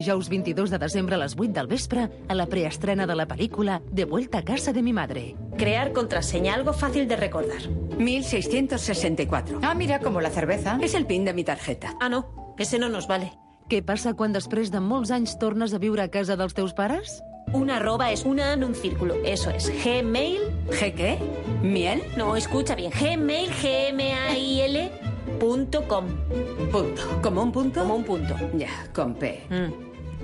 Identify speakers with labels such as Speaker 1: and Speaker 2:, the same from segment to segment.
Speaker 1: Dijous 22 de desembre a les 8 del vespre a la preestrena de la pel·lícula De vuelta a casa de mi madre.
Speaker 2: Crear contraseña, algo fácil de recordar.
Speaker 3: 1664.
Speaker 4: Ah, mira, como la cerveza.
Speaker 3: Es el PIN de mi tarjeta.
Speaker 2: Ah, no, ese no nos vale.
Speaker 1: Què passa quan després de molts anys tornes a viure a casa dels teus pares?
Speaker 2: Una arroba es una en un círculo. Eso es. Gmail.
Speaker 3: ¿G qué? ¿Miel?
Speaker 2: No, escucha bien. Gmail, gmail.com.
Speaker 3: Punto. ¿Como un punto?
Speaker 2: Como un punto.
Speaker 3: Ya, con P.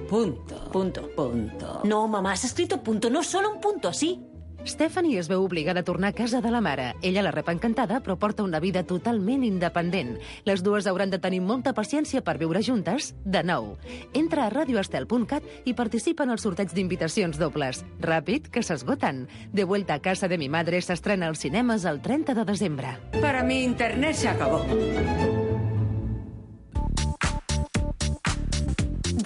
Speaker 3: Punto. Punto.
Speaker 2: No, mamá, has escrito punto, no solo un punto, así.
Speaker 1: Stephanie es veu obligada a tornar a casa de la mare. Ella la rep encantada, però porta una vida totalment independent. Les dues hauran de tenir molta paciència per viure juntes de nou. Entra a radioestel.cat i participa en el sorteig d'invitacions dobles. Ràpid, que s'esgoten. De vuelta a casa de mi madre s'estrena als cinemes el 30 de desembre.
Speaker 3: Para mi internet se acabó.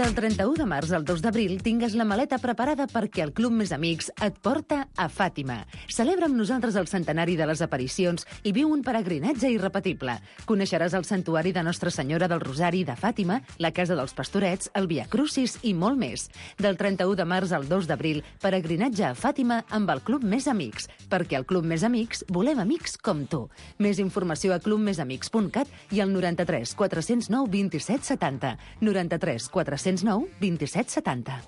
Speaker 1: Del 31 de març al 2 d'abril tingues la maleta preparada perquè el Club Més Amics et porta a Fàtima. Celebra amb nosaltres el centenari de les aparicions i viu un peregrinatge irrepetible. Coneixeràs el santuari de Nostra Senyora del Rosari de Fàtima, la Casa dels Pastorets, el Via Crucis i molt més. Del 31 de març al 2 d'abril, peregrinatge a Fàtima amb el Club Més Amics, perquè al Club Més Amics volem amics com tu. Més informació a clubmesamics.cat i al 93 409 27 70. 93 409 27 70.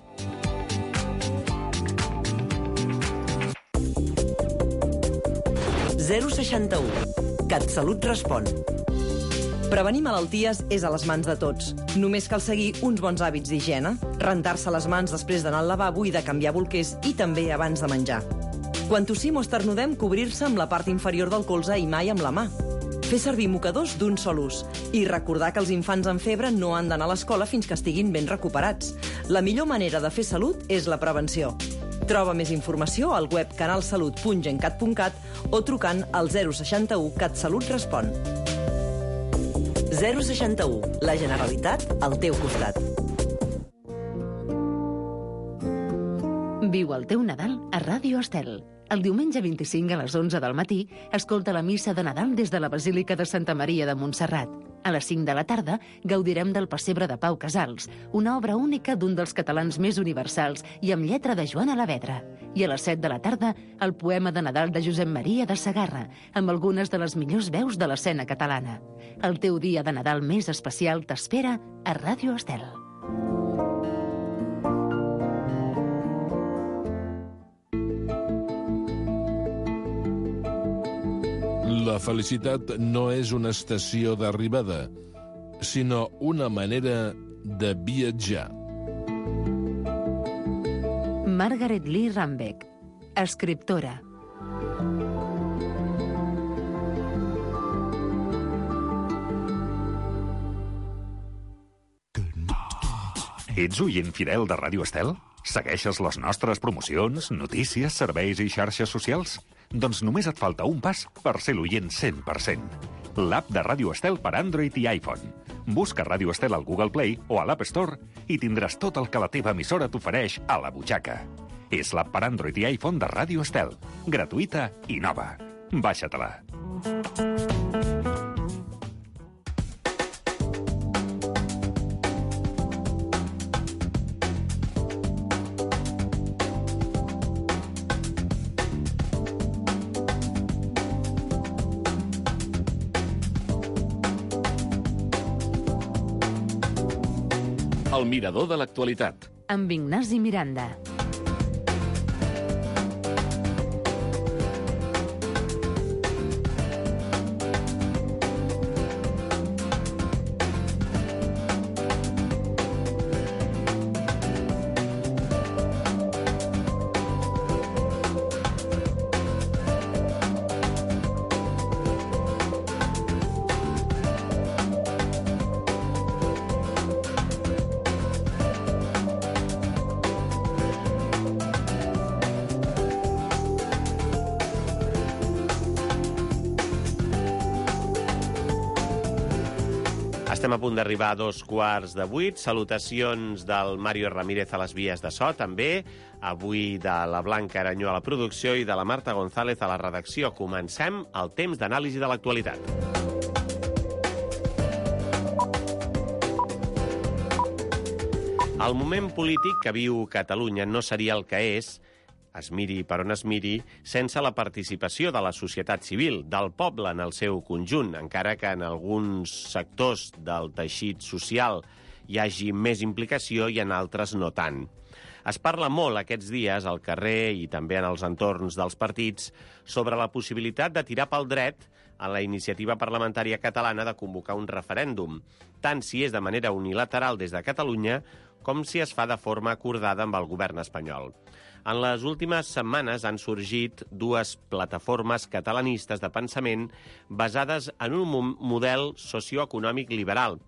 Speaker 5: CatSalut respon. Prevenir malalties és a les mans de tots. Només cal seguir uns bons hàbits d'higiene, rentar-se les mans després d'anar al lavabo i de canviar bolquers i també abans de menjar. Quan tossim o esternudem, cobrir-se amb la part inferior del colze i mai amb la mà. Fer servir mocadors d'un sol ús i recordar que els infants amb febre no han d'anar a l'escola fins que estiguin ben recuperats. La millor manera de fer salut és la prevenció. Troba més informació al web canalsalut.gencat.cat o trucant al 061 CatSalut respon. 061. La Generalitat al teu costat.
Speaker 1: Viu el teu Nadal a Ràdio Estel. El diumenge 25 a les 11 del matí escolta la missa de Nadal des de la Basílica de Santa Maria de Montserrat. A les 5 de la tarda gaudirem del Pessebre de Pau Casals, una obra única d'un dels catalans més universals i amb lletra de Joan Alavedra. I a les 7 de la tarda, el poema de Nadal de Josep Maria de Segarra, amb algunes de les millors veus de l'escena catalana. El teu dia de Nadal més especial t'espera a Ràdio Estel.
Speaker 6: La felicitat no és una estació d'arribada, sinó una manera de viatjar.
Speaker 1: Margaret Lee Rambeck, escriptora.
Speaker 7: Ets oient fidel de Ràdio Estel? Segueixes les nostres promocions, notícies, serveis i xarxes socials? Doncs només et falta un pas per ser l'oient 100%. L'app de Ràdio Estel per Android i iPhone. Busca Ràdio Estel al Google Play o a l'App Store i tindràs tot el que la teva emissora t'ofereix a la butxaca. És l'app per Android i iPhone de Ràdio Estel. Gratuïta i nova. Baixa-te-la.
Speaker 8: El mirador de l'actualitat.
Speaker 1: Amb Ignasi Miranda.
Speaker 9: Estem a punt d'arribar a 7:15. Salutacions del Mario Ramírez a les vies de so, també. Avui de la Blanca Aranyó a la producció i de la Marta González a la redacció. Comencem el temps d'anàlisi de l'actualitat. El moment polític que viu Catalunya no seria el que és, es miri per on es miri, sense la participació de la societat civil, del poble en el seu conjunt, encara que en alguns sectors del teixit social hi hagi més implicació i en altres no tant. Es parla molt aquests dies al carrer i també en els entorns dels partits sobre la possibilitat de tirar pel dret a la iniciativa parlamentària catalana de convocar un referèndum, tant si és de manera unilateral des de Catalunya com si es fa de forma acordada amb el govern espanyol. En les últimes setmanes han sorgit dues plataformes catalanistes de pensament basades en un model socioeconòmic liberal.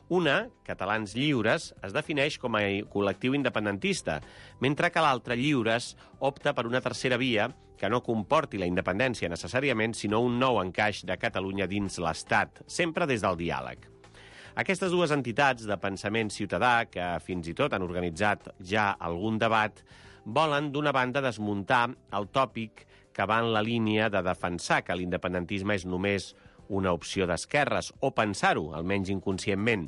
Speaker 9: Una, Catalans Lliures, es defineix com a col·lectiu independentista, mentre que l'altra, Lliures, opta per una tercera via que no comporti la independència necessàriament, sinó un nou encaix de Catalunya dins l'Estat, sempre des del diàleg. Aquestes dues entitats de pensament ciutadà, que fins i tot han organitzat ja algun debat, volen, d'una banda, desmuntar el tòpic que va en la línia de defensar que l'independentisme és només una opció d'esquerres, o pensar-ho, almenys inconscientment.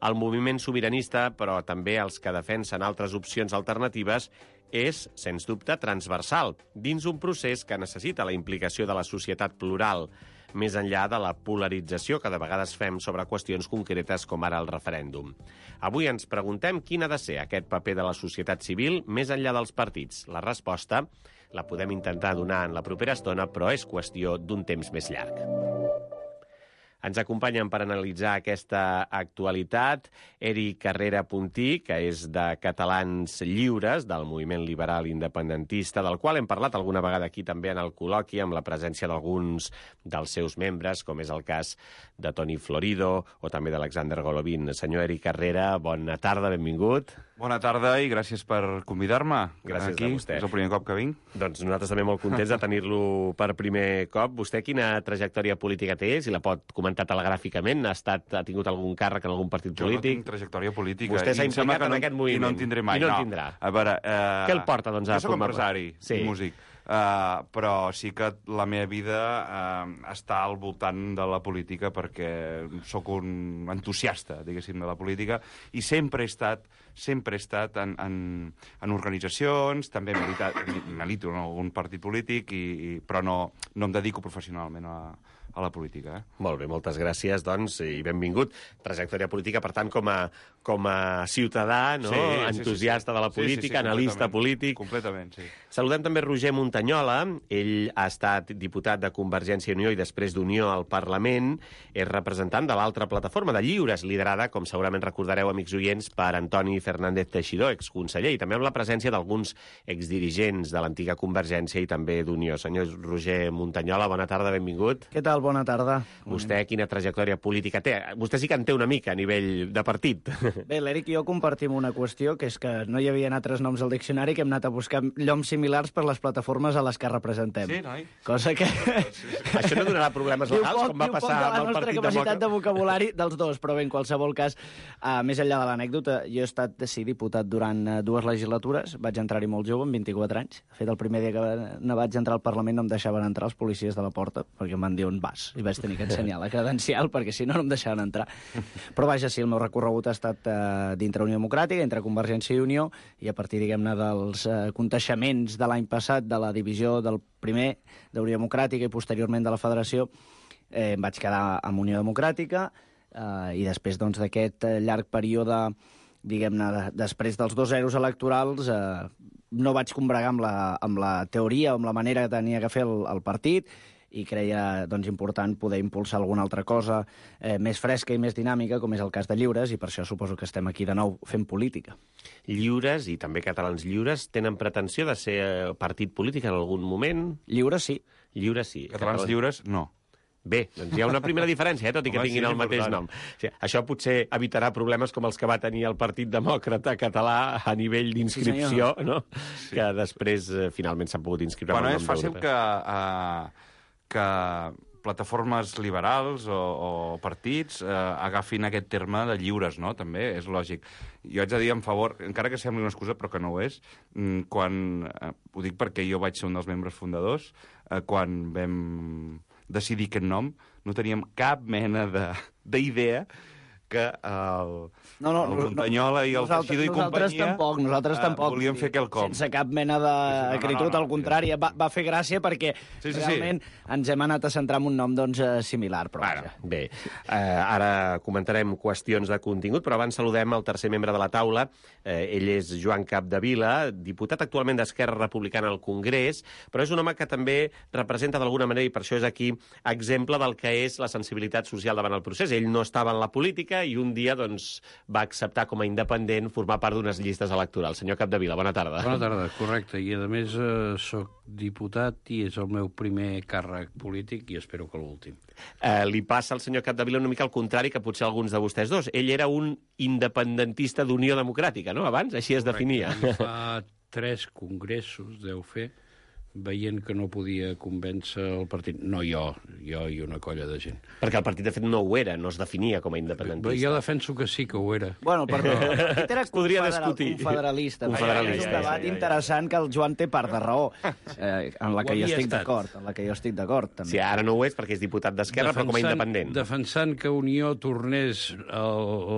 Speaker 9: El moviment sobiranista, però també els que defensen altres opcions alternatives, és, sens dubte, transversal, dins un procés que necessita la implicació de la societat plural, més enllà de la polarització que de vegades fem sobre qüestions concretes com ara el referèndum. Avui ens preguntem quin ha de ser aquest paper de la societat civil més enllà dels partits. La resposta la podem intentar donar en la propera estona, però és qüestió d'un temps més llarg. Ens acompanyen per analitzar aquesta actualitat Eric Carrera Puntí, que és de Catalans Lliures, del moviment liberal independentista, del qual hem parlat alguna vegada aquí també en el col·loqui, amb la presència d'alguns dels seus membres, com és el cas de Toni Florido o també d'Alexander Golovin. Senyor Eric Carrera, bona tarda, benvingut.
Speaker 4: Bona tarda i gràcies per convidar-me.
Speaker 9: Gràcies
Speaker 4: aquí.
Speaker 9: A vostè.
Speaker 4: És el primer cop que vinc.
Speaker 9: Doncs nosaltres també molt contents de tenir-lo per primer cop. Vostè quina trajectòria política té? Si la pot comentar telegràficament? Ha tingut algun càrrec en algun partit polític?
Speaker 4: Jo no tinc trajectòria política.
Speaker 9: Vostè s'ha implicat en aquest moviment.
Speaker 4: I no en tindré mai.
Speaker 9: I no en tindrà.
Speaker 4: A veure,
Speaker 9: què el porta, doncs, a
Speaker 4: jo soc empresari
Speaker 9: i
Speaker 4: músic. Però sí que la meva vida està al voltant de la política perquè sóc un entusiasta, diguéssim, de la política i sempre he estat en organitzacions, també milito en algun partit polític, però no em dedico professionalment a la política.
Speaker 9: Molt bé, moltes gràcies, doncs, i benvingut. Trajectòria política, per tant, com a ciutadà, no? Entusiasta de la política, analista polític.
Speaker 4: Completament, sí.
Speaker 9: Saludem també Roger Montanyola. Ell ha estat diputat de Convergència i Unió i després d'Unió al Parlament. És representant de l'altra plataforma de Lliures, liderada, com segurament recordareu, amics oients, per Antoni Fernández Teixidó, exconseller, i també amb la presència d'alguns exdirigents de l'antiga Convergència i també d'Unió. Senyor Roger Montanyola, bona tarda, benvingut.
Speaker 10: Què tal? Bona tarda.
Speaker 9: Vostè quina trajectòria política té? Vostè sí que en té una mica a nivell de partit.
Speaker 10: Bé, l'Eric i jo compartim una qüestió, que és que no hi havia altres noms al diccionari, que hem anat a buscar lloms similars per les plataformes a les que representem.
Speaker 4: Sí, noi?
Speaker 10: Cosa que...
Speaker 9: Això no donarà problemes legals, com va passar amb el Partit Demòcrata?
Speaker 10: la nostra capacitat de vocabulari dels dos, però bé, en qualsevol cas, més enllà de l'anècdota, jo he estat diputat durant 2 legislatures, vaig entrar-hi molt jove, amb 24 anys. De fet, el primer dia que no vaig entrar al Parlament no em deixaven entrar els policies de la porta, perquè em van dir on vas, i vaig tenir que ensenyar la credencial, perquè si no em deixaven entrar. Però vaja, sí, el meu recorregut ha estat dintre Unió Democràtica, entre Convergència i Unió, i a partir, diguem-ne, dels conteixements de l'any passat, de la divisió del primer d'Unió Democràtica i posteriorment de la Federació, em vaig quedar amb Unió Democràtica, i després doncs, d'aquest llarg període, diguem-ne, després dels 2 zeros electorals, no vaig combregar amb la teoria o amb la manera que tenia que fer el partit, i creia doncs, important poder impulsar alguna altra cosa més fresca i més dinàmica, com és el cas de Lliures, i per això suposo que estem aquí de nou fent política.
Speaker 9: Lliures, i també Catalans Lliures, tenen pretensió de ser partit polític en algun moment?
Speaker 10: Lliures, sí.
Speaker 9: Lliures, sí.
Speaker 4: Catalans Lliures, no.
Speaker 9: Bé, doncs hi ha una primera diferència, tot i que tinguin el mateix nom. O sigui, això potser evitarà problemes com els que va tenir el Partit Demòcrata català a nivell d'inscripció, no? Sí. Que després finalment s'han pogut inscriure amb el nom
Speaker 4: és fàcil que plataformes liberals o partits agafin aquest terme de lliures, no? També és lògic. Jo haig de dir en favor, encara que sembli una excusa, però que no ho és, ho dic perquè jo vaig ser un dels membres fundadors, quan vam decidir aquest nom, no teníem cap mena d'idea que el Muntanyola i el Teixidó i companyia
Speaker 10: nosaltres tampoc
Speaker 4: volien fer quelcom.
Speaker 10: Sense cap mena d'acritud, al contrari. Va fer gràcia perquè realment ens hem anat a centrar en un nom similar.
Speaker 9: Bé, ara comentarem qüestions de contingut, però abans saludem el tercer membre de la taula. Ell és Joan Capdevila, diputat actualment d'Esquerra Republicana al Congrés, però és un home que també representa d'alguna manera, i per això és aquí, exemple del que és la sensibilitat social davant el procés. Ell no estava en la política i un dia va acceptar com a independent formar part d'unes llistes electorals. Senyor Capdevila, bona tarda.
Speaker 11: Bona tarda, correcte. I a més soc diputat i és el meu primer càrrec polític i espero que l'últim.
Speaker 9: Li passa al senyor Capdevila una mica al contrari que potser alguns de vostès dos. Ell era un independentista d'Unió Democràtica, no? Abans, així es definia.
Speaker 11: Fa 3 congressos, deu fer, veient que no podia convèncer el partit. No jo i una colla de gent.
Speaker 9: Perquè el partit, de fet, no ho era, no es definia com a independentista.
Speaker 11: Jo defenso que sí que ho era.
Speaker 10: Bueno, perdó, el partit era confederalista. És un debat interessant que el Joan té part de raó, en la que jo estic d'acord.
Speaker 9: Sí, ara no ho és perquè és diputat d'Esquerra, però com a independent.
Speaker 11: Defensant que Unió tornés a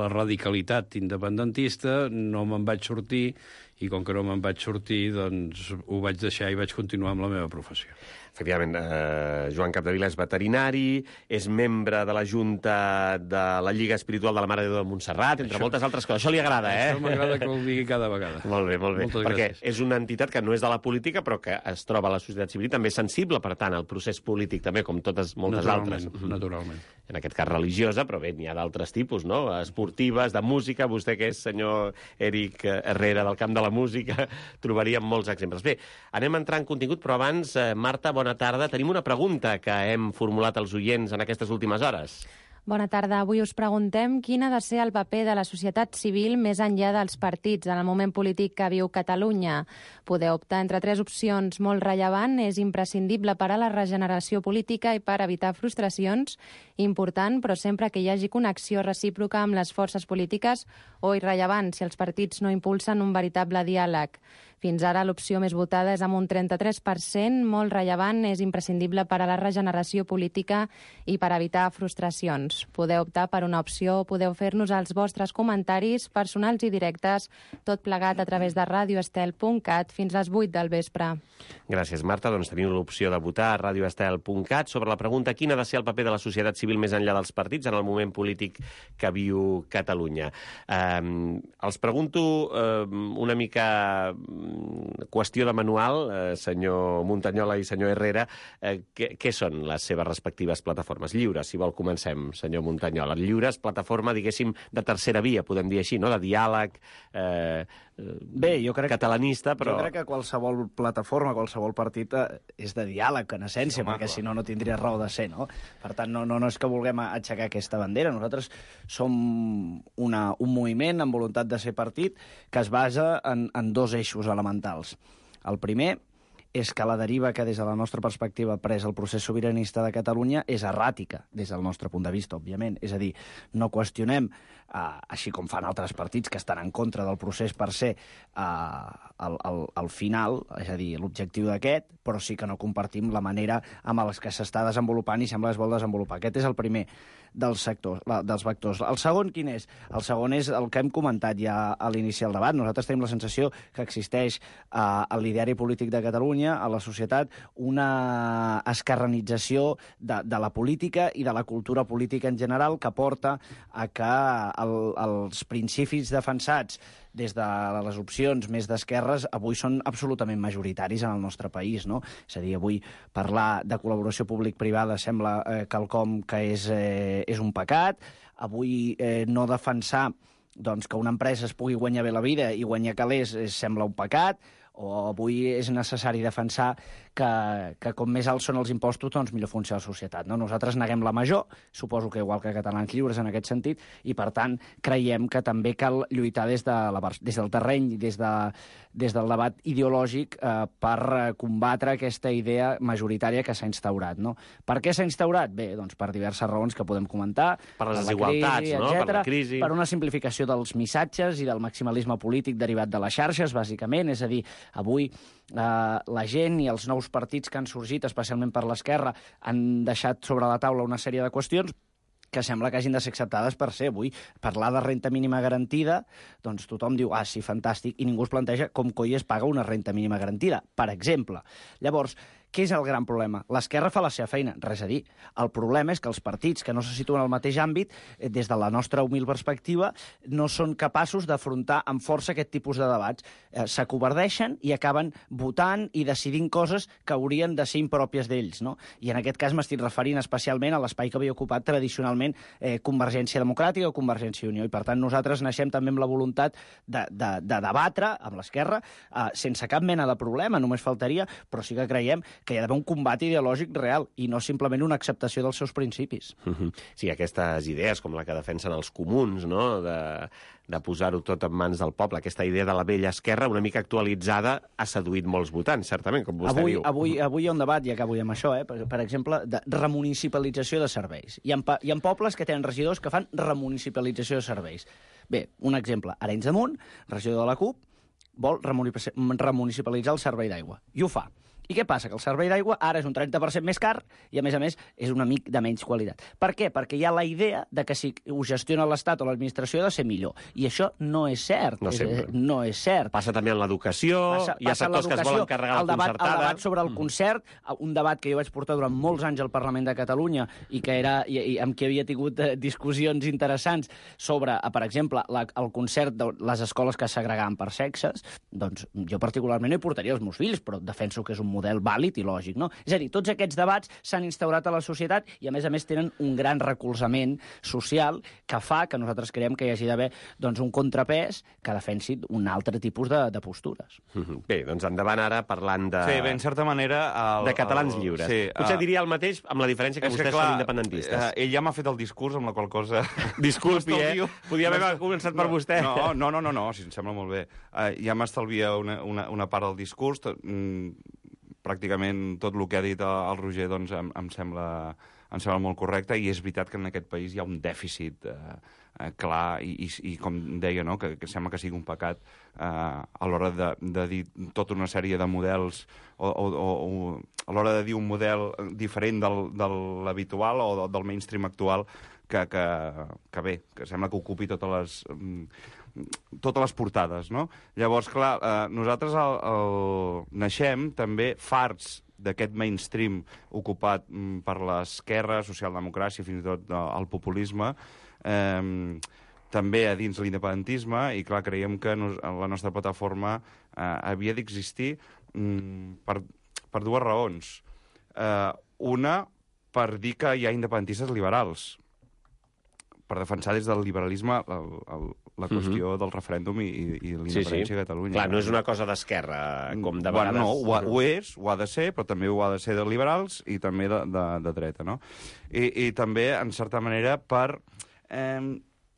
Speaker 11: la radicalitat independentista, no me'n vaig sortir, i com que no me'n vaig sortir, doncs ho vaig deixar i vaig continuar amb la meva professió.
Speaker 9: Efectivament, Joan Capdevila és veterinari, és membre de la Junta de la Lliga Espiritual de la Mare de Déu de Montserrat, entre moltes altres coses. Això li agrada, eh?
Speaker 11: Això m'agrada que ho digui cada vegada.
Speaker 9: Molt bé.
Speaker 11: Moltes
Speaker 9: perquè
Speaker 11: gràcies.
Speaker 9: És una entitat que no és de la política, però que es troba a la societat civil, també és sensible, per tant, al procés polític, també, com moltes altres.
Speaker 11: Naturalment.
Speaker 9: En aquest cas religiosa, però bé, n'hi ha d'altres tipus, no? Esportives, de música, vostè que és senyor Eric Herrera del camp de la música, trobaríem molts exemples. Bé, anem a entrar en contingut, però abans, Marta, bona tarda. Tenim una pregunta que hem formulat als oients en aquestes últimes hores.
Speaker 12: Bona tarda. Avui us preguntem quin ha de ser el paper de la societat civil més enllà dels partits en el moment polític que viu Catalunya. Podeu optar entre 3 opcions. Molt rellevant, és imprescindible per a la regeneració política i per evitar frustracions. Important, però sempre que hi hagi connexió recíproca amb les forces polítiques, o irrellevant, si els partits no impulsen un veritable diàleg. Fins ara l'opció més votada és amb un 33%, molt rellevant, és imprescindible per a la regeneració política i per evitar frustracions. Podeu optar per una opció o podeu fer-nos els vostres comentaris personals i directes, tot plegat a través de radioestel.cat fins les 8 del vespre.
Speaker 9: Gràcies, Marta. Doncs teniu l'opció de votar a radioestel.cat sobre la pregunta quin ha de ser el paper de la societat civil més enllà dels partits en el moment polític que viu Catalunya. Els pregunto una mica qüestió de manual, senyor Muntanyola i senyor Herrera, què són les seves respectives plataformes? Lliures, si vol comencem, senyor Muntanyola. Lliures, plataforma, diguéssim, de tercera via, podem dir així, no? De diàleg
Speaker 10: jo crec
Speaker 9: catalanista, però...
Speaker 10: Jo crec que qualsevol plataforma, qualsevol partit és de diàleg, en essència, perquè si no, no tindria raó de ser, no? Per tant, no és que vulguem aixecar aquesta bandera. Nosaltres som un moviment amb voluntat de ser partit que es basa en 2 eixos elementals. El primer és que la deriva que des de la nostra perspectiva ha pres el procés sobiranista de Catalunya és erràtica, des del nostre punt de vista, òbviament. És a dir, no qüestionem, així com fan altres partits que estan en contra del procés per ser al final, és a dir, l'objectiu d'aquest, però sí que no compartim la manera amb els que s'està desenvolupant i sembla que es vol desenvolupar. Aquest és el primer dels vectors. El segon, quin és? El segon és el que hem comentat ja a l'inici del debat. Nosaltres tenim la sensació que existeix al l'ideari polític de Catalunya, a la societat, una esquerranització de la política i de la cultura política en general que porta a que els principis defensats des de les opcions més d'esquerres avui són absolutament majoritaris en el nostre país, no? És a dir, avui parlar de col·laboració públic-privada sembla quelcom que és un pecat. Avui no defensar que una empresa es pugui guanyar bé la vida i guanyar calés sembla un pecat, o avui és necessari defensar que com més alts són els impostos, doncs millor funciona la societat. No? Nosaltres neguem la major, suposo que igual que Catalans Lliures en aquest sentit, i per tant creiem que també cal lluitar des del terreny, des del debat ideològic per combatre aquesta idea majoritària que s'ha instaurat. No? Per què s'ha instaurat? Bé, doncs per diverses raons que podem comentar.
Speaker 9: Per les desigualtats, no? Per la crisi.
Speaker 10: Per una simplificació dels missatges i del maximalisme polític derivat de les xarxes, bàsicament. És a dir, avui la gent i els nous partits que han sorgit, especialment per l'esquerra, han deixat sobre la taula una sèrie de qüestions que sembla que hagin de ser acceptades per ser. Avui, parlar de renta mínima garantida, doncs tothom diu, sí, fantàstic, i ningú es planteja com coi es paga una renta mínima garantida, per exemple. Llavors, què és el gran problema? L'esquerra fa la seva feina, res a dir. El problema és que els partits que no se situen al mateix àmbit, des de la nostra humil perspectiva, no són capaços d'afrontar amb força aquest tipus de debats. S'acovardeixen i acaben votant i decidint coses que haurien de ser impròpies d'ells, no? I en aquest cas m'estic referint especialment a l'espai que havia ocupat tradicionalment Convergència Democràtica o Convergència i Unió. I per tant nosaltres naixem també amb la voluntat de debatre amb l'esquerra sense cap mena de problema, només faltaria, però sí que creiem que hi ha d'haver un combat ideològic real i no simplement una acceptació dels seus principis.
Speaker 9: Sí, aquestes idees, com la que defensen els comuns, no?, de posar-ho tot en mans del poble, aquesta idea de la vella esquerra, una mica actualitzada, ha seduït molts votants, certament, com vostè diu.
Speaker 10: Avui hi ha un debat, i acabo amb això, per exemple, de remunicipalització de serveis. Hi ha pobles que tenen regidors que fan remunicipalització de serveis. Bé, un exemple, Arenys de Munt, regidor de la CUP, vol remunicipalitzar el servei d'aigua. I ho fa. I què passa? Que el servei d'aigua ara és un 30% més car i, a més, és una mica de menys qualitat. Per què? Perquè hi ha la idea de que si ho gestiona l'Estat o l'administració ha de ser millor. I això no és cert. No és cert.
Speaker 9: Passa també en l'educació, hi ha sectors que es volen carregar la concertada.
Speaker 10: El debat sobre el concert, un debat que jo vaig portar durant molts anys al Parlament de Catalunya i amb qui havia tingut discussions interessants sobre, per exemple, el concert de les escoles que segregaven per sexes, doncs jo particularment no hi portaria els meus fills, però defenso que és un model vàlid i lògic, no? És a dir, tots aquests debats s'han instaurat a la societat i, a més, tenen un gran recolzament social que fa que nosaltres creiem que hi hagi d'haver un contrapès que defensi un altre tipus de postures.
Speaker 9: Bé, doncs endavant ara parlant de...
Speaker 4: Sí, bé, en certa manera...
Speaker 9: de catalans lliures. Sí, potser diria el mateix amb la diferència que vostès són independentistes.
Speaker 4: Ell ja m'ha fet el discurs, amb la qual cosa...
Speaker 9: Disculpi, Podia haver començat per vostè.
Speaker 4: No, si em sembla molt bé. Ja m'estalvia una part del discurs, pràcticament tot el que ha dit el Roger doncs, em sembla molt correcte, i és veritat que en aquest país hi ha un dèficit clar i com deia, no? que sembla que sigui un pecat a l'hora de dir tota una sèrie de models o a l'hora de dir un model diferent de l'habitual o del mainstream actual que bé, que sembla que ocupi totes les portades, no? Llavors, clar, nosaltres naixem també farts d'aquest mainstream ocupat per l'esquerra, socialdemocràcia, fins i tot el populisme, també a dins l'independentisme, i clar, creiem que la nostra plataforma havia d'existir per dues raons. Una, per dir que hi ha independentistes liberals, per defensar des del liberalisme la qüestió del referèndum i l'independència a Catalunya.
Speaker 9: Clar, no és una cosa d'esquerra, com de vegades...
Speaker 4: No, ho és, ho ha de ser, però també ho ha de ser de liberals i també de dreta, no? I també, en certa manera, per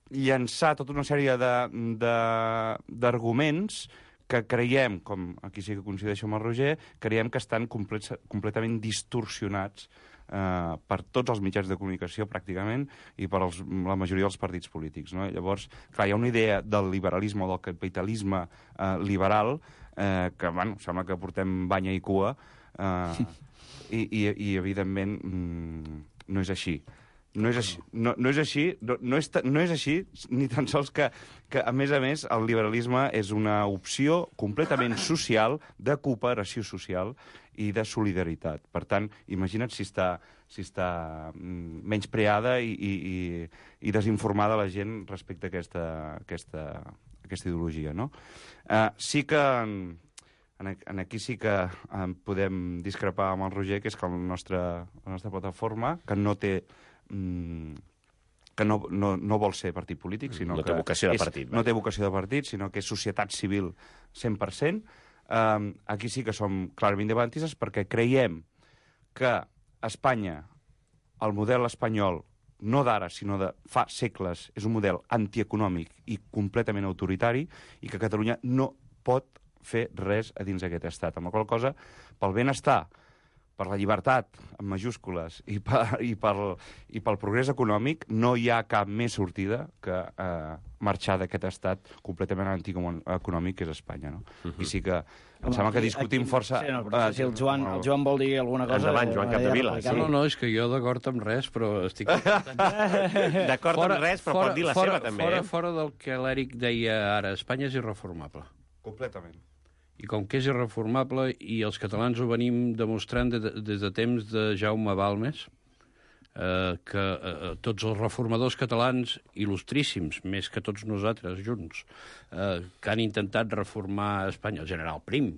Speaker 4: llançar tota una sèrie d'arguments que creiem, com aquí sí que coincideixo amb el Roger, creiem que estan completament distorsionats per tots els mitjans de comunicació, pràcticament, i per la majoria dels partits polítics, no? Llavors, clar, hi ha una idea del liberalisme o del capitalisme liberal que, bueno, sembla que portem banya i cua i evidentment, no és així. No és així, ni tan sols que, a més, el liberalisme és una opció completament social, de cooperació social i de solidaritat. Per tant, imagina't si està menyspreada i desinformada la gent respecte a aquesta ideologia, no? Sí que... Aquí sí que podem discrepar amb el Roger, que és que la nostra plataforma, que no té... que no vol ser partit polític, sinó
Speaker 9: no té vocació de partit.
Speaker 4: No té vocació de partit, sinó que és societat civil 100%. Aquí sí que som clarament independentistes perquè creiem que Espanya, el model espanyol, no d'ara, sinó de fa segles, és un model antieconòmic i completament autoritari, i que Catalunya no pot fer res a dins d'aquest estat. Amb la qual cosa, pel benestar, per la llibertat, en majúscules, i pel progrés econòmic, no hi ha cap més sortida que marxar d'aquest estat completament antieconòmic que és Espanya, no? I sí que em sembla que discutim força...
Speaker 10: Sí, no, però si el Joan vol dir alguna cosa...
Speaker 9: Endavant, Joan Capdevila.
Speaker 11: Sí. No, és que jo d'acord amb res, però estic...
Speaker 9: D'acord amb res, però pot dir la seva, també.
Speaker 11: Fora del que l'Eric deia ara, Espanya és irreformable.
Speaker 4: Completament.
Speaker 11: I com que és irreformable, i els catalans ho venim demostrant des de temps de Jaume Balmes, que tots els reformadors catalans, il·lustríssims, més que tots nosaltres junts, que han intentat reformar Espanya, el general Prim,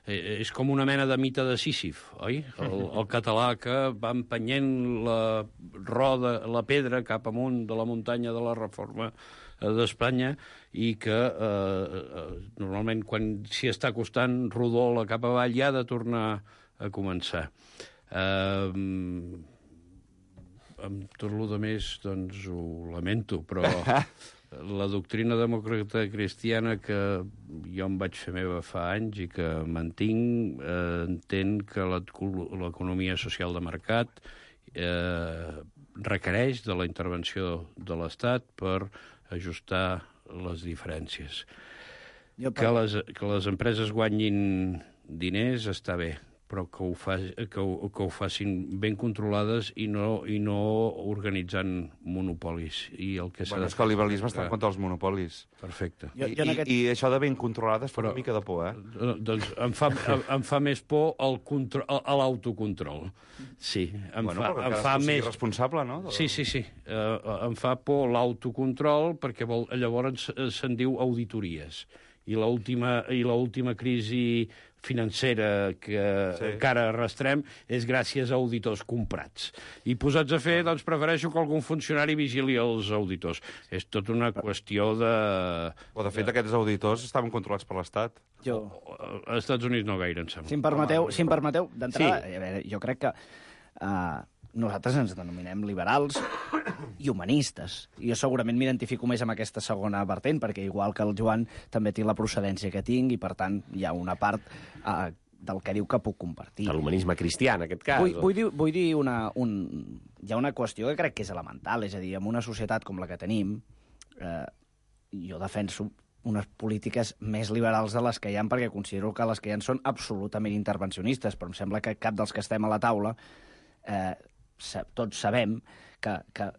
Speaker 11: és com una mena de mite de Sísif, oi? El català que va empenyent la pedra cap amunt de la muntanya de la reforma d'Espanya i que normalment quan s'hi està acostant rodola cap avall i ha de tornar a començar. Amb tot el més, doncs, ho lamento, però la doctrina demòcrata cristiana que jo em vaig fer meva fa anys i que mantinc, entén que l'economia social de mercat requereix de la intervenció de l'Estat per ajustar les diferències. Que les empreses guanyin diners està bé, però que ho facin ben controlades i no organitzant monopolis. I el que
Speaker 4: és que el liberalisme està en contra dels monopolis.
Speaker 11: Perfecte.
Speaker 4: I això de ben controlades fa una mica de por,
Speaker 11: Doncs em fa més por l'autocontrol. Sí. Em fa més...
Speaker 4: responsable, no?
Speaker 11: Sí. Em fa por l'autocontrol perquè llavors se'n diu auditories. I l'última crisi financera que encara arrastrem és gràcies a auditors comprats. I posats a fer, doncs prefereixo que algun funcionari vigili els auditors. És tota una qüestió de...
Speaker 4: O, de fet, aquests auditors estaven controlats per l'Estat.
Speaker 11: Als Estats Units no gaire, em sembla.
Speaker 10: Si em permeteu, d'entrada, a veure, jo crec que nosaltres ens denominem liberals i humanistes. Jo segurament m'identifico més amb aquesta segona vertent, perquè igual que el Joan també tinc la procedència que tinc i, per tant, hi ha una part del que diu que puc compartir.
Speaker 9: De l'humanisme cristià, en aquest cas.
Speaker 10: Vull dir hi ha una qüestió que crec que és elemental, és a dir, en una societat com la que tenim, jo defenso unes polítiques més liberals de les que hi ha, perquè considero que les que hi ha són absolutament intervencionistes, però em sembla que cap dels que estem a la taula tots sabem que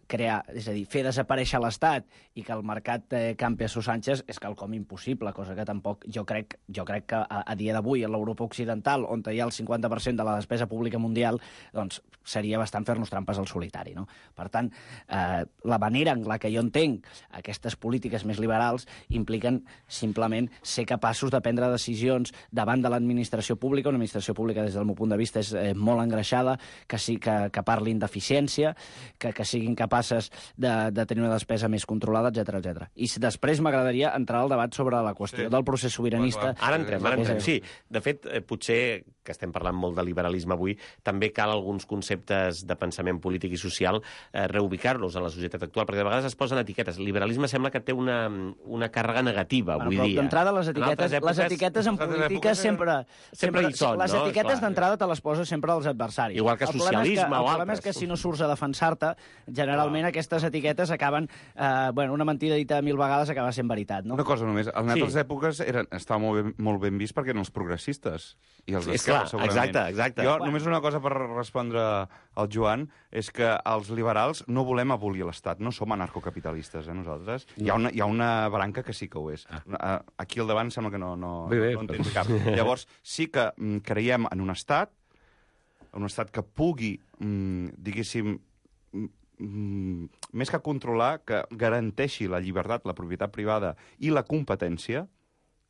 Speaker 10: crear, és a dir, fer desaparèixer l'Estat i que el mercat campi a sus anches és quelcom impossible, cosa que tampoc jo crec que a dia d'avui a l'Europa Occidental, on hi ha el 50% de la despesa pública mundial, doncs seria bastant fer-nos trampes al solitari, no? Per tant, la manera en la que jo entenc aquestes polítiques més liberals impliquen simplement ser capaços de prendre decisions davant de l'administració pública, una administració pública des del meu punt de vista és molt engreixada, que parlin d'eficiència, que siguin capaces de tenir una despesa més controlada, etc. I després m'agradaria entrar al debat sobre la qüestió del procés sobiranista.
Speaker 9: Ara entrem. Sí, de fet, potser, que estem parlant molt de liberalisme avui, també cal alguns conceptes de pensament polític i social reubicar-los en la societat actual, perquè de vegades es posen etiquetes. El liberalisme sembla que té una càrrega negativa avui dia.
Speaker 10: D'entrada, les etiquetes en política sempre
Speaker 9: hi són, no?
Speaker 10: Les etiquetes d'entrada te les posa sempre als adversaris.
Speaker 9: Igual que socialisme o altres.
Speaker 10: El problema és que si no surts a defensar-te, generalment aquestes etiquetes acaben... una mentida dita 1000 vegades acaba sent veritat, no?
Speaker 4: Una cosa només, en altres èpoques estava molt ben vist perquè eren els progressistes i els d'esquerra, segurament.
Speaker 9: Exacte.
Speaker 4: Jo, només una cosa per respondre al Joan, és que els liberals no volem abolir l'Estat, no som anarcocapitalistes, nosaltres. Hi ha una branca que sí que ho és. Aquí al davant sembla que no en tens cap. Llavors, sí que creiem en un estat que pugui, diguéssim, més que controlar, que garanteixi la llibertat, la propietat privada i la competència,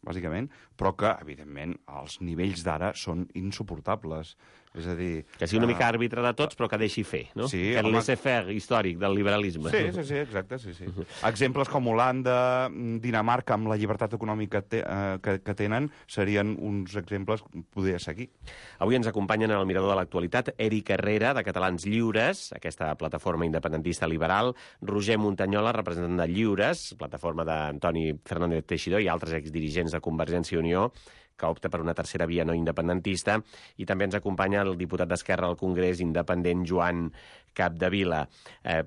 Speaker 4: bàsicament, però que, evidentment, els nivells d'ara són insuportables. És a dir...
Speaker 9: Que sigui una mica àrbitre de tots, però que deixi fer, no?
Speaker 4: Sí,
Speaker 9: que el laissez-faire històric del liberalisme.
Speaker 4: Sí, exacte, sí. Exemples com Holanda, Dinamarca, amb la llibertat econòmica que tenen, serien uns exemples que podria seguir.
Speaker 9: Avui ens acompanyen en el Mirador de l'Actualitat Eric Herrera, de Catalans Lliures, aquesta plataforma independentista liberal, Roger Muntanyola, representant de Lliures, plataforma d'Antoni Fernández Teixidor i altres exdirigents de Convergència i Unió, que opta per una tercera via no independentista, i també ens acompanya el diputat d'Esquerra al Congrés independent Joan Capdevila.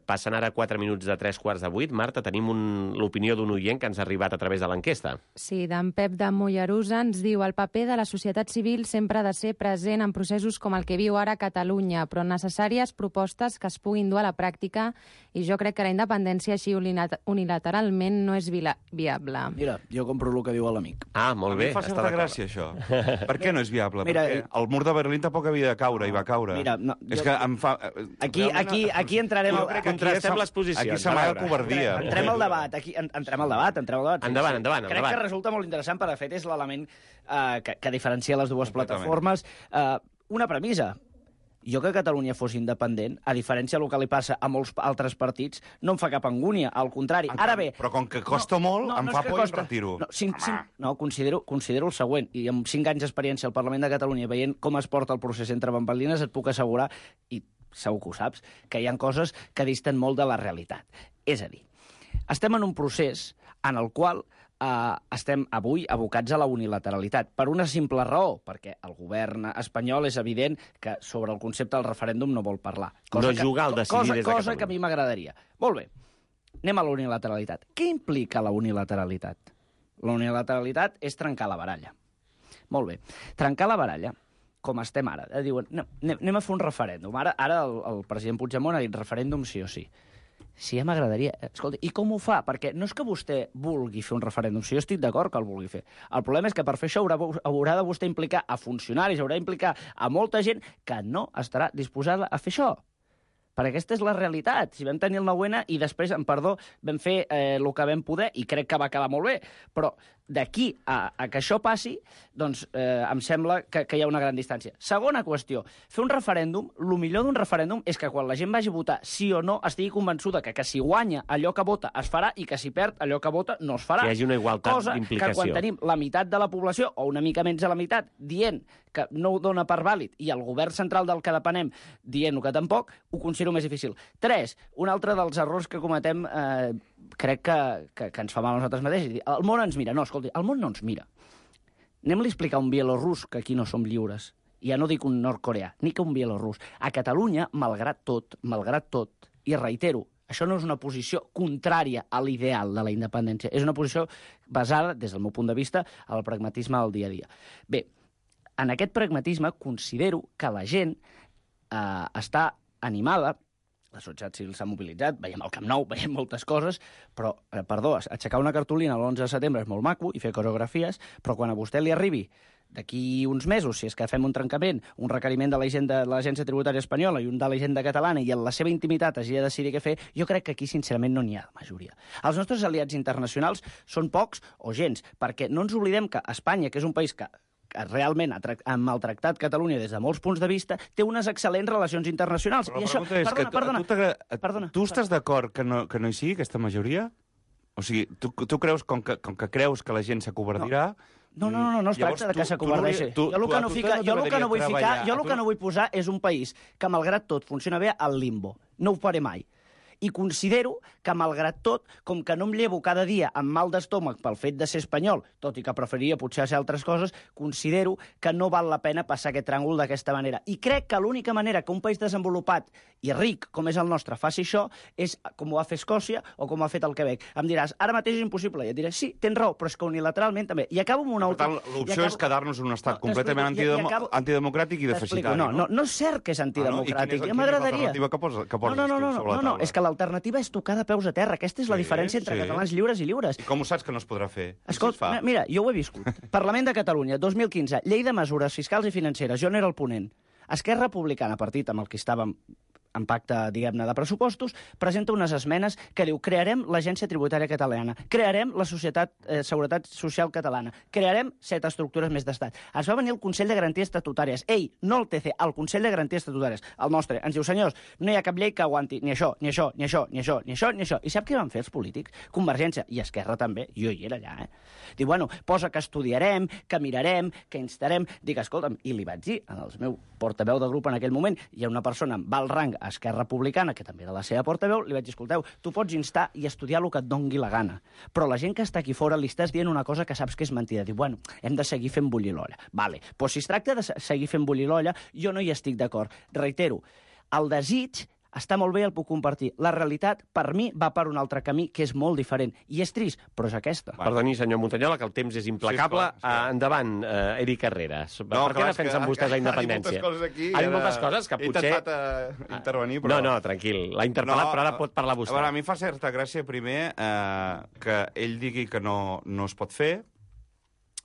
Speaker 9: Passen ara 4 minuts de 7:45. Marta, tenim l'opinió d'un oient que ens ha arribat a través de l'enquesta.
Speaker 12: Sí, d'en Pep de Mollerusa ens diu: el paper de la societat civil sempre ha de ser present en processos com el que viu ara Catalunya, però necessàries propostes que es puguin dur a la pràctica, i jo crec que la independència així unilateralment no és viable.
Speaker 10: Mira, jo compro el que diu l'amic.
Speaker 9: Ah, molt bé.
Speaker 4: A mi em fa certa gràcia, això. Per què no és viable?
Speaker 10: Mira,
Speaker 4: perquè el mur de Berlín tampoc havia de caure, i va caure.
Speaker 10: Mira, no,
Speaker 4: és que em fa...
Speaker 10: Aquí entrarem...
Speaker 9: Contrastem les posicions.
Speaker 4: Aquí s'amaga covardia.
Speaker 10: Entrem al debat. Entrem al debat.
Speaker 9: Endavant.
Speaker 10: Crec que resulta molt interessant, per de fet, és l'element que diferencia les dues plataformes. Una premissa. Jo que Catalunya fos independent, a diferència del que li passa a molts altres partits, no em fa cap angúnia, al contrari. Ara bé...
Speaker 4: Però com que costa molt, em fa por i em retiro.
Speaker 10: No, considero el següent, i amb 5 anys d'experiència al Parlament de Catalunya, veient com es porta el procés entre bambalines, et puc assegurar, i segur que ho saps, que hi ha coses que disten molt de la realitat. És a dir, estem en un procés en el qual estem avui abocats a la unilateralitat, per una simple raó, perquè el govern espanyol és evident que sobre el concepte del referèndum no vol parlar.
Speaker 9: No juga al decidir des de Catalunya.
Speaker 10: Cosa que a mi m'agradaria. Molt bé, anem a la unilateralitat. Què implica la unilateralitat? La unilateralitat és trencar la baralla. Molt bé, trencar la baralla, com estem ara. Diuen, anem a fer un referèndum. Ara el president Puigdemont ha dit referèndum sí o sí. Sí, ja m'agradaria. Escolta, i com ho fa? Perquè no és que vostè vulgui fer un referèndum, si jo estic d'acord que el vulgui fer. El problema és que per fer això haurà de vostè implicar a funcionaris, haurà d'implicar a molta gent que no estarà disposada a fer això. Perquè aquesta és la realitat. Si vam tenir el 9-N i després, amb perdó, vam fer el que vam poder, i crec que va acabar molt bé, però d'aquí a que això passi, doncs em sembla que hi ha una gran distància. Segona qüestió, fer un referèndum, el millor d'un referèndum és que quan la gent vagi a votar sí o no estigui convençuda que si guanya allò que vota es farà i que si perd allò que vota no es farà.
Speaker 9: Que hi hagi una igualtat d'implicació.
Speaker 10: Cosa que quan tenim la meitat de la població, o una mica menys de la meitat, dient que no ho dona per vàlid, i el govern central del que depenem dient-ho que tampoc, ho considero més difícil. 3, un altre dels errors que cometem crec que ens fa mal a nosaltres mateixos. El món ens mira. No, escolti, el món no ens mira. Anem-li a explicar a un bielorrus que aquí no som lliures. I ja no dic un nord-coreà, ni que un bielorrus. A Catalunya, malgrat tot, i reitero, això no és una posició contrària a l'ideal de la independència, és una posició basada, des del meu punt de vista, al pragmatisme del dia a dia. Bé, en aquest pragmatisme considero que la gent està animada, la societat civil s'ha mobilitzat, veiem el Camp Nou, veiem moltes coses, però, perdó, aixecar una cartolina l'11 de setembre és molt maco i fer coreografies, però quan a vostè li arribi d'aquí uns mesos, si és que fem un trencament, un requeriment de l'Agència Tributària Espanyola i un de l'Hisenda Catalana, i en la seva intimitat hagi de decidir què fer, jo crec que aquí, sincerament, no n'hi ha majoria. Els nostres aliats internacionals són pocs o gens, perquè no ens oblidem que Espanya, que és un país que realment ha maltractat Catalunya des de molts punts de vista, té unes excel·lents relacions internacionals.
Speaker 4: Però la pregunta és que tu estàs d'acord que no hi sigui aquesta majoria? O sigui, tu creus, com que creus que la gent s'acovardirà...
Speaker 10: No es tracta de que s'acovardeixi. Jo el que no vull posar és un país que, malgrat tot, funciona bé al limbo. No ho faré mai. I considero que, malgrat tot, com que no em llevo cada dia amb mal d'estómac pel fet de ser espanyol, tot i que preferiria potser ser altres coses, considero que no val la pena passar aquest tràngol d'aquesta manera. I crec que l'única manera que un país desenvolupat i ric, com és el nostre, faci això, és com ho va fer Escòcia o com ho ha fet el Quebec. Em diràs, ara mateix és impossible. I et diré, sí, tens raó, però és que unilateralment també. I acabo amb una
Speaker 4: última... Per tant, l'opció és quedar-nos en un estat completament antidemocràtic i deficitari,
Speaker 10: no? No és cert que és antidemocràtic. Ja m'agradaria. No, és que l'alternativa és tocar de peus a terra. Aquesta és la diferència entre catalans lliures i lliures.
Speaker 4: I com ho saps que no es podrà fer?
Speaker 10: Escolta, mira, jo ho he viscut. Parlament de Catalunya, 2015, llei de mesures fiscals i financeres. Jo n'era el ponent. Esquerra Republicana, partit amb el que estàvem en pacte, diguem-ne, de pressupostos, presenta unes esmenes que diu crearem l'Agència Tributària Catalana, crearem la Seguretat Social Catalana, crearem 7 estructures més d'estat. Es va venir el Consell de Garanties Estatutàries. Ei, no el TC, el Consell de Garanties Estatutàries, el nostre. Ens diu, senyors, no hi ha cap llei que aguanti ni això, ni això, ni això, ni això, ni això, ni això. I sap què van fer els polítics? Convergència i Esquerra també. Jo hi era allà, Diu, bueno, posa que estudiarem, que mirarem, que instarem. Dic, escolta'm, i li vaig dir al meu portaveu de grup en aquell moment, hi ha una persona amb alt rang a Esquerra Republicana, que també era la seva portaveu, li vaig dir, escolteu, tu pots instar i estudiar el que et dongui la gana, però la gent que està aquí fora li estàs dient una cosa que saps que és mentida. Diu, bueno, hem de seguir fent bullir l'olla. Vale, però si es tracta de seguir fent bullir l'olla, jo no hi estic d'acord. Reitero, el desig està molt bé, el puc compartir. La realitat, per mi, va per un altre camí que és molt diferent. I és trist, però és aquesta.
Speaker 9: Perdoni, senyor Montanyola, que el temps és implacable. Sí, endavant, Eric Carreras. Per què defensen vostès la independència? Ha dit moltes coses que potser...
Speaker 4: He intentat intervenir, però...
Speaker 9: No, tranquil. L'ha interpel·lat, però ara pot parlar vostè.
Speaker 4: A mi fa certa gràcia, primer, que ell digui que no es pot fer,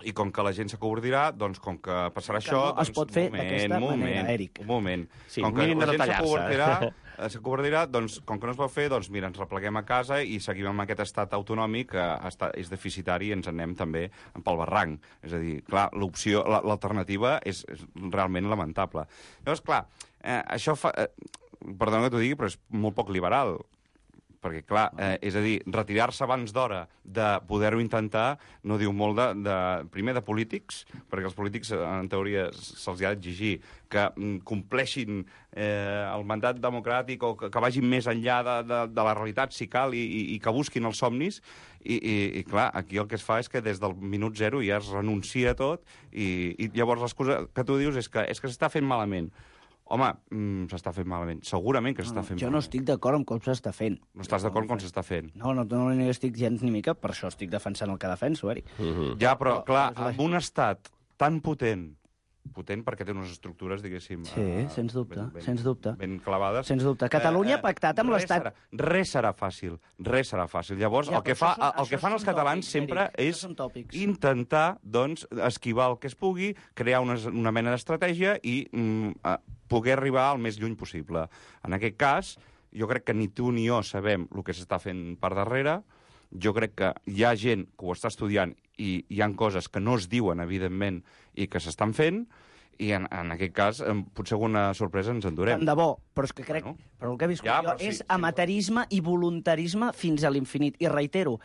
Speaker 4: i com que la gent s'acobordirà, doncs com que passarà això...
Speaker 10: No es pot fer d'aquesta manera, Eric.
Speaker 4: Un moment.
Speaker 9: Sí,
Speaker 4: com que la gent s'acobordirà, doncs com que no es pot fer, doncs mira, ens repleguem a casa i seguim amb aquest estat autonòmic que és deficitari i ens anem també pel barranc. És a dir, clar, l'alternativa és realment lamentable. Llavors, clar, això fa... Perdona que t'ho digui, però és molt poc liberal. Perquè, clar, és a dir, retirar-se abans d'hora de poder-ho intentar no diu molt primer de polítics, perquè els polítics, en teoria, se'ls ha d'exigir que compleixin el mandat democràtic o que vagin més enllà de la realitat, si cal, i que busquin els somnis. I clar, aquí el que es fa és que des del minut zero ja es renuncia a tot i llavors l'excusa que tu dius és que s'està fent malament. Home, s'està fent malament. Segurament que s'està fent malament.
Speaker 10: Jo no estic d'acord amb com s'està fent.
Speaker 4: No estàs d'acord amb com s'està fent?
Speaker 10: No estic gens ni mica, per això estic defensant el que defenso, Eric.
Speaker 4: Ja, però, clar, amb un estat tan potent perquè té unes estructures, diguéssim...
Speaker 10: Sí, sens dubte, sens dubte.
Speaker 4: Ben clavades.
Speaker 10: Sens dubte. Catalunya ha pactat amb l'Estat...
Speaker 4: Res serà fàcil. Llavors, el que fan els catalans sempre és intentar, doncs, esquivar el que es pugui, crear una mena d'estratègia i poder arribar al més lluny possible. En aquest cas, jo crec que ni tu ni jo sabem el que s'està fent per darrere. Jo crec que hi ha gent que ho està estudiant i hi ha coses que no es diuen, evidentment, i que s'estan fent, i en aquest cas potser alguna sorpresa ens endurem.
Speaker 10: Tant de bo, però és que crec... Però el que he viscut jo és amateurisme i voluntarisme fins a l'infinit. I reitero,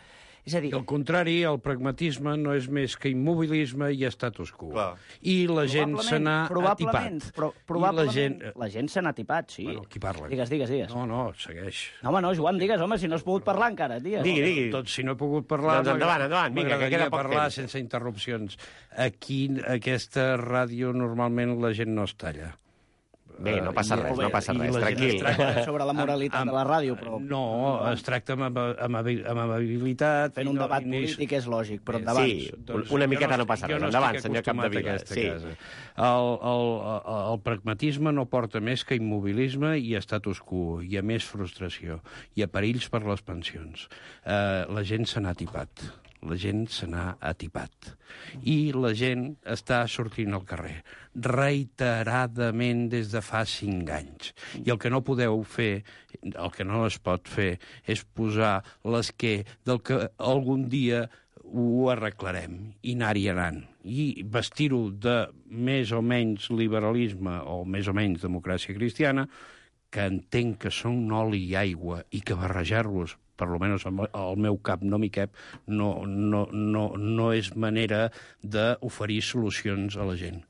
Speaker 10: és a dir...
Speaker 11: Al contrari, el pragmatisme no és més que immobilisme i status quo.
Speaker 4: Clar.
Speaker 11: I la gent se n'ha atipat.
Speaker 10: Probablement, la gent se n'ha atipat, sí.
Speaker 11: Bueno, qui parla?
Speaker 10: Digues.
Speaker 11: No, segueix.
Speaker 10: No, Joan, digues, home, si no has pogut parlar encara, digues.
Speaker 9: Digui.
Speaker 11: Doncs si no he pogut parlar...
Speaker 9: Doncs endavant, vinga, que queda poc
Speaker 11: parlar
Speaker 9: temps.
Speaker 11: sense interrupcions. Aquí, aquesta ràdio, normalment la gent no es talla.
Speaker 9: Bé, no passa res, tranquil.
Speaker 10: Sobre la moralitat de la ràdio, però...
Speaker 11: No, es tracta amb amabilitat...
Speaker 10: Fent un debat polític és lògic, però endavant.
Speaker 9: Sí, una miqueta no passa res. Endavant, senyor Capdevila.
Speaker 11: El pragmatisme no porta més que immobilisme i status quo, i a més frustració, i a perills per les pensions. La gent se n'ha atipat. La gent se n'ha atipat. I la gent està sortint al carrer reiteradament des de fa 5 anys. I el que no podeu fer, el que no es pot fer, és posar l'esquer del que algun dia ho arreglarem i anar-hi anant. I vestir-ho de més o menys liberalisme o més o menys democràcia cristiana, que entenc que són oli i aigua i que barrejar-los, per almenys al meu cap no m'hi cap, no és manera d'oferir solucions a la gent.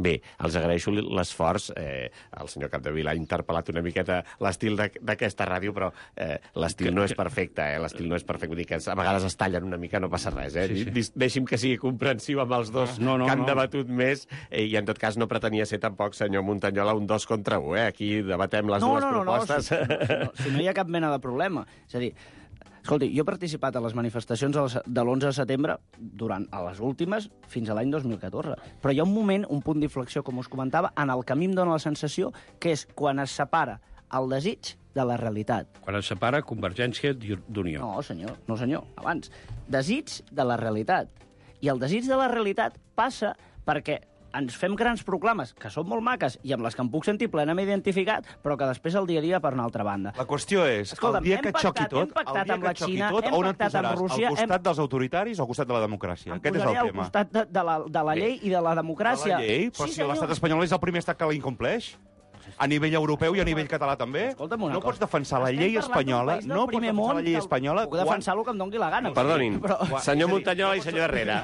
Speaker 9: Bé, els agraeixo l'esforç. El senyor Capdevila ha interpel·lat una miqueta l'estil d'aquesta ràdio, però l'estil no és perfecte, L'estil no és perfecte. Vull dir que a vegades es tallen una mica, no passa res, Sí. Deixi'm que sigui comprensiu amb els dos que han debatut més, i en tot cas no pretenia ser tampoc, senyor Montanyola, un 2 contra 1, Aquí debatem les dues propostes.
Speaker 10: Si no hi ha cap mena de problema. És a dir, escolti, jo he participat a les manifestacions de l'11 de setembre durant a les últimes fins a l'any 2014. Però hi ha un moment, un punt d'inflexió, com us comentava, en el que a mi em dóna la sensació que és quan es separa el desig de la realitat.
Speaker 11: Quan es separa Convergència d'Unió.
Speaker 10: No, senyor, abans. Desig de la realitat. I el desig de la realitat passa perquè ens fem grans proclames, que són molt maques i amb les que em puc sentir plenament identificat, però que després el dia a dia per una altra banda.
Speaker 4: La qüestió és, el dia que xoqui tot, on et posaràs? Al costat dels autoritaris o al costat de la democràcia? Aquest és el tema.
Speaker 10: Al costat de la llei i de la democràcia.
Speaker 4: De la llei? Però si l'estat espanyol és el primer estat que la incompleix. a nivell europeu i a nivell català també.
Speaker 10: Escolta'm una
Speaker 4: no
Speaker 10: cosa.
Speaker 4: pots defensar la llei espanyola, no pots defensar la llei espanyola...
Speaker 10: Puc defensar el que em doni la gana.
Speaker 9: Perdonin, senyor Muntanyola i senyor Herrera,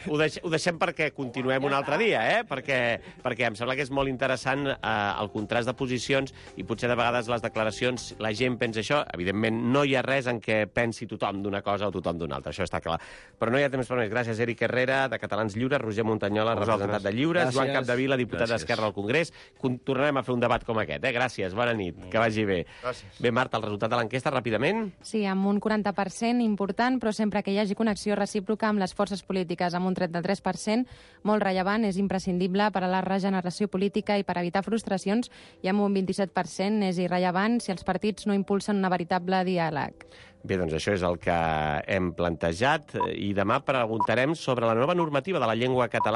Speaker 9: ho deixem perquè continuem un altre dia, perquè em sembla que és molt interessant el contrast de posicions i potser de vegades les declaracions, la gent pensa això, evidentment no hi ha res en què pensi tothom d'una cosa o tothom d'una altra, això està clar. Però no hi ha temps per més. Gràcies, Eric Herrera, de Catalans Lliures, Roger Muntanyola, representant de Lliures, Joan Capdevila, diputat d'Esquerra al Congrés. Tornarem a fer un debat com aquest, Gràcies, bona nit, que vagi bé.
Speaker 4: Gràcies.
Speaker 9: Bé, Marta, el resultat de l'enquesta, ràpidament?
Speaker 12: Sí, amb un 40% important, però sempre que hi hagi connexió recíproca amb les forces polítiques, amb un 33%, molt rellevant, és imprescindible per a la regeneració política i per evitar frustracions, i amb un 27% és irrellevant si els partits no impulsen una veritable diàleg.
Speaker 9: Bé, doncs això és el que hem plantejat i demà preguntarem sobre la nova normativa de la llengua catalana